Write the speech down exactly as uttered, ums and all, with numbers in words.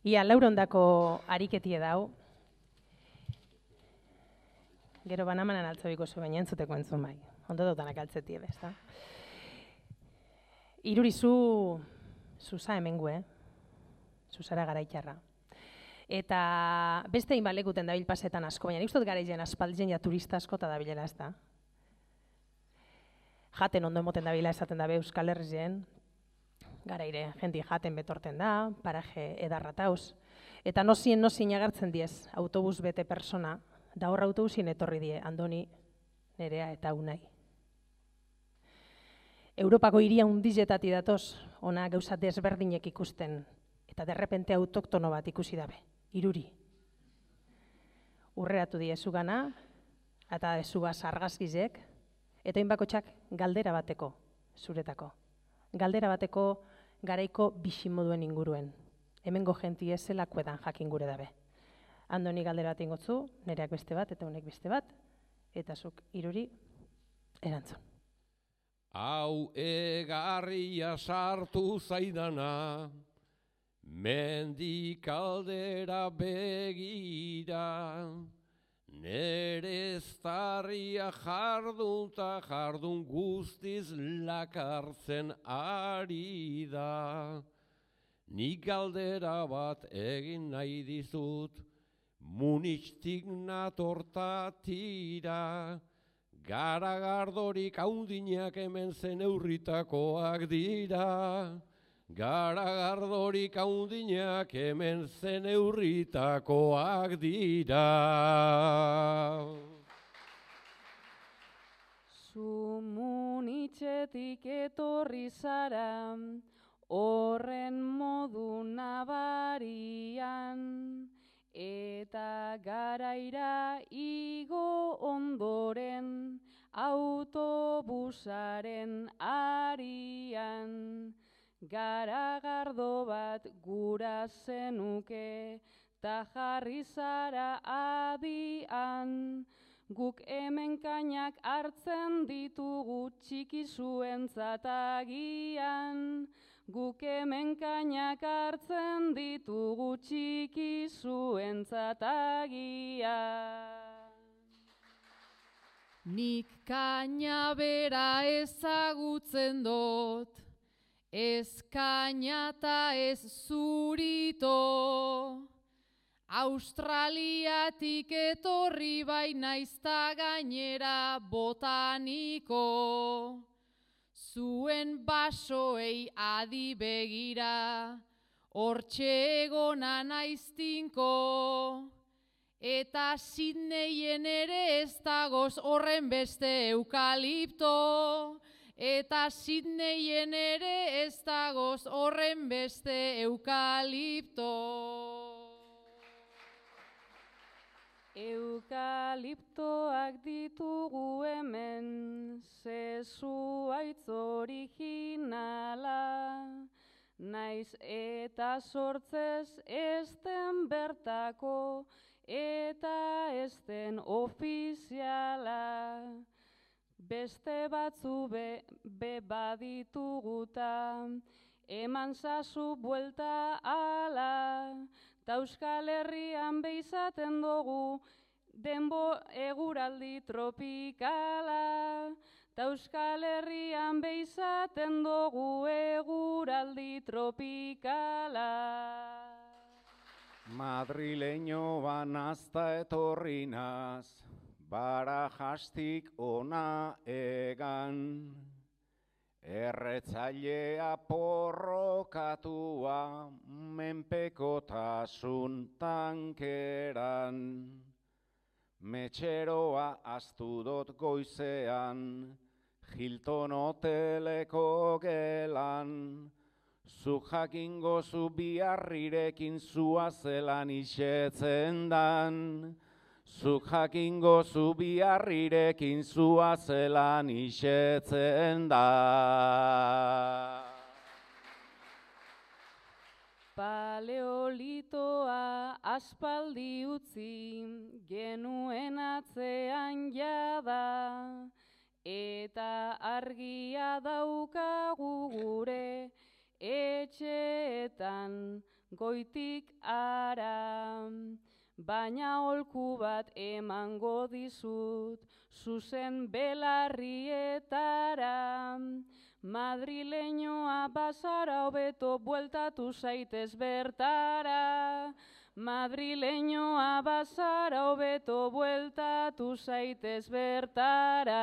Ia laurondako ariketie dau. Gero banamanan altzobiko zu baina entzuteko entzun bai. Ondo dotanak altzetie bezta. Irurizu zuza hemengu, eh? Zuzara garaitarra. Eta beste inbalekuten dabil pasetan asko, baina nik uste dut garaizen aspaldien ja turista askota dabilela ez da. Jaten ondo emoten dabila esaten dabe Euskal Herrien, garaire, jendi jaten betorten da, paraje edarratauz. Eta nozien nozien agertzen diez, autobus bete persona, da horra autobusin etorri die, Andoni, Nerea eta Unai. Europako hiria hundizetatik datoz, ona gauza desberdinek ikusten, eta derrepente autoktono bat ikusi dabe, Iruri. Urreratu diezu gana, eta ezuga sargazkizek, eta inbakotxak galdera bateko, zuretako. Galdera bateko garaiko bisimoduen inguruen. Hemengo jenti ez zelakoedan jakin gure dabe. Andoni galdera bat ingotzu, Nereak beste bat, eta Unek beste bat, eta zuk Iruri erantzun. Hau egarria sartu zaidana, mendik aldera begira, nere eztarria jardunta jardun guztiz lakartzen ari da. Nik galdera bat egin nahi dizut, Munixtik natortatira, garagardorik haundinak hemen zen eurritakoak dira. Garagardorik haundinak hemen zen eurritakoak dira. Zu Munitzetik etorri zara, horren modu nabarian, eta garaira igo ondoren, autobusaren arian. Garagardo bat gura zenuke, ta jarri zara adian. Guk hemen kainak hartzen ditugu txiki zuentzat agian. Guk hemen kainak hartzen ditugu txiki zuentzat agian. Nik kaina bera ezagutzen dut, ez kaina eta ez zurito. Australiatik etorri bai naizta gainera botaniko. Zuen basoei adi begira, hortxe egona naiztinko. Eta Sydneyen ere ez dagoz horren beste eukalipto. Eta Sydneyen ere ez dagoz horren beste eukalipto. Eukaliptoak ditugu hemen, zezu aitz originala, naiz eta sortzez ezten bertako, eta ezten ofiziala. Beste batzu be, be badituguta, eman zazu buelta ala, ta Euskal Herrian behizaten dugu denbo eguraldi tropikala. Ta Euskal Herrian behizaten dugu eguraldi tropikala. Madrileño banazta etorri naz, Barajastik ona egan. Erretzailea porrokatua menpekotasun tankeran. Metxeroa aztu dot goizean, Hilton hoteleko gelan. Zu jakingo zu biharrirekin zua zelan isetzen dan. Zu jakingo zu biharrirekin zua zelan isetzen da. Paleolitoa aspaldi utzi genuen atzean jada, eta argia daukagu gure etxeetan goitik ara, baina holku bat emango dizut, zuzen belarrietara. Madrileñoa bazara hobeto bueltatu zaitez bertara. Madrileñoa bazara hobeto bueltatu zaitez bertara.